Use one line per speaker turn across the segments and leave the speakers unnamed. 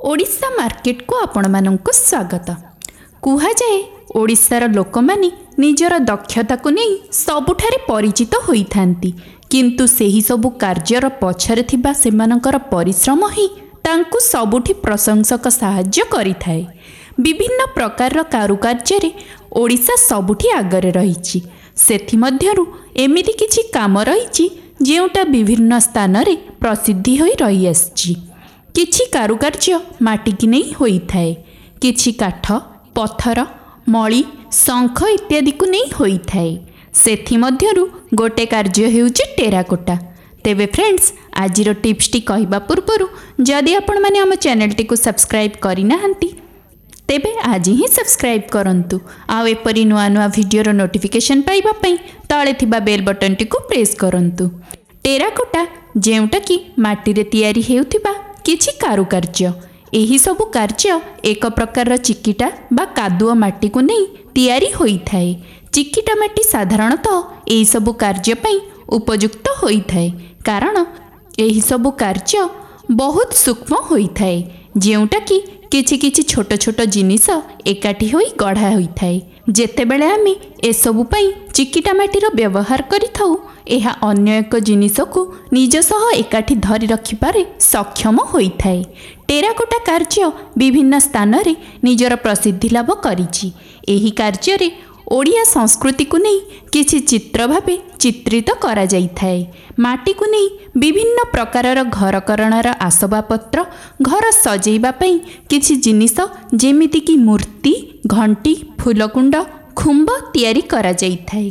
ଓଡ଼ିଶା ମାର୍କେଟକୁ ଆପଣମାନଙ୍କୁ ସ୍ୱାଗତ। କୁହାଯାଏ ଓଡ଼ିଶାର ଲୋକମାନେ ନିଜର ଦକ୍ଷତାକୁ ନେଇ ସବୁଠାରେ ପରିଚିତ ହୋଇଥାନ୍ତି, କିନ୍ତୁ ସେହିସବୁ କାର୍ଯ୍ୟର ପଛରେ ଥିବା ସେମାନଙ୍କର ପରିଶ୍ରମ ହିଁ ତାଙ୍କୁ ସବୁଠି ପ୍ରଶଂସକ ସାହାଯ୍ୟ କରିଥାଏ। ବିଭିନ୍ନ ପ୍ରକାରର କାରୁକାର୍ଯ୍ୟରେ ଓଡ଼ିଶା ସବୁଠି ଆଗରେ ରହିଛି। ସେଥିମଧ୍ୟରୁ ଏମିତି କିଛି କାମ ରହିଛି ଯେଉଁଟା ବିଭିନ୍ନ ସ୍ଥାନରେ ପ୍ରସିଦ୍ଧି ହୋଇ ରହିଆସିଛି। କିଛି କାରୁକାର୍ଯ୍ୟ ମାଟିକି ନେଇ ହୋଇଥାଏ, କିଛି କାଠ, ପଥର, ମଳି, ଶଙ୍ଖ ଇତ୍ୟାଦିକୁ ନେଇ ହୋଇଥାଏ। ସେଥିମଧ୍ୟରୁ ଗୋଟେ କାର୍ଯ୍ୟ ହେଉଛି ଟେରାକୋଟା। ତେବେ ଫ୍ରେଣ୍ଡସ୍, ଆଜିର ଟିପ୍ସଟି କହିବା ପୂର୍ବରୁ ଯଦି ଆପଣମାନେ ଆମ ଚ୍ୟାନେଲଟିକୁ ସବସ୍କ୍ରାଇବ୍ କରିନାହାନ୍ତି, ତେବେ ଆଜି ହିଁ ସବସ୍କ୍ରାଇବ୍ କରନ୍ତୁ, ଆଉ ଏପରି ନୂଆ ନୂଆ ଭିଡ଼ିଓର ନୋଟିଫିକେସନ୍ ପାଇବା ପାଇଁ ତଳେ ଥିବା ବେଲ୍ ବଟନ୍ଟିକୁ ପ୍ରେସ୍ କରନ୍ତୁ। ଟେରାକୋଟା, ଯେଉଁଟାକି ମାଟିରେ ତିଆରି ହେଉଥିବା କିଛି କାରୁକାର୍ଯ୍ୟ। ଏହିସବୁ କାର୍ଯ୍ୟ ଏକ ପ୍ରକାରର ଚିକିଟା ବା କାଦୁଅ ମାଟିକୁ ନେଇ ତିଆରି ହୋଇଥାଏ। ଚିକିଟା ମାଟି ସାଧାରଣତଃ ଏହିସବୁ କାର୍ଯ୍ୟ ପାଇଁ ଉପଯୁକ୍ତ ହୋଇଥାଏ, କାରଣ ଏହିସବୁ କାର୍ଯ୍ୟ ବହୁତ ସୂକ୍ଷ୍ମ ହୋଇଥାଏ, ଯେଉଁଟାକି କିଛି କିଛି ଛୋଟ ଛୋଟ ଜିନିଷ ଏକାଠି ହୋଇ ଗଢ଼ା ହୋଇଥାଏ। ଯେତେବେଳେ ଆମେ ଏସବୁ ପାଇଁ ଚିକିଟା ମାଟିର ବ୍ୟବହାର କରିଥାଉ, ଏହା ଅନ୍ୟ ଏକ ଜିନିଷକୁ ନିଜ ସହ ଏକାଠି ଧରି ରଖିବାରେ ସକ୍ଷମ ହୋଇଥାଏ। ଟେରାକୋଟା କାର୍ଯ୍ୟ ବିଭିନ୍ନ ସ୍ଥାନରେ ନିଜର ପ୍ରସିଦ୍ଧି ଲାଭ କରିଛି। ଏହି କାର୍ଯ୍ୟରେ ଓଡ଼ିଆ ସଂସ୍କୃତିକୁ ନେଇ କିଛି ଚିତ୍ର ଭାବେ ଚିତ୍ରିତ କରାଯାଇଥାଏ। ମାଟିକୁ ନେଇ ବିଭିନ୍ନ ପ୍ରକାରର ଘରକରଣାର ଆସବାବପତ୍ର, ଘର ସଜେଇବା ପାଇଁ କିଛି ଜିନିଷ ଯେମିତିକି ମୂର୍ତ୍ତି, ଘଣ୍ଟି, ଫୁଲକୁଣ୍ଡ, ଖୁମ୍ବ ତିଆରି କରାଯାଇଥାଏ।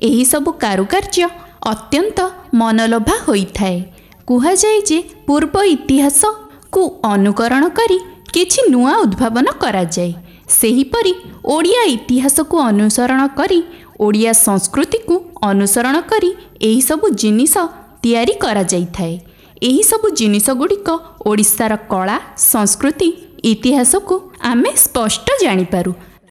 ଏହିସବୁ କାରୁକାର୍ଯ୍ୟ ଅତ୍ୟନ୍ତ ମନଲୋଭା ହୋଇଥାଏ। କୁହାଯାଏ ଯେ ପୂର୍ବ ଇତିହାସକୁ ଅନୁକରଣ କରି କିଛି ନୂଆ ଉଦ୍ଭାବନ କରାଯାଏ। ସେହିପରି ଓଡ଼ିଆ ଇତିହାସକୁ ଅନୁସରଣ କରି, ଓଡ଼ିଆ ସଂସ୍କୃତିକୁ ଅନୁସରଣ କରି ଏହିସବୁ ଜିନିଷ ତିଆରି କରାଯାଇଥାଏ। ଏହିସବୁ ଜିନିଷ ଗୁଡ଼ିକ ଓଡ଼ିଶାର କଳା, ସଂସ୍କୃତି, ଇତିହାସକୁ ଆମେ ସ୍ପଷ୍ଟ ଜାଣିପାରୁ।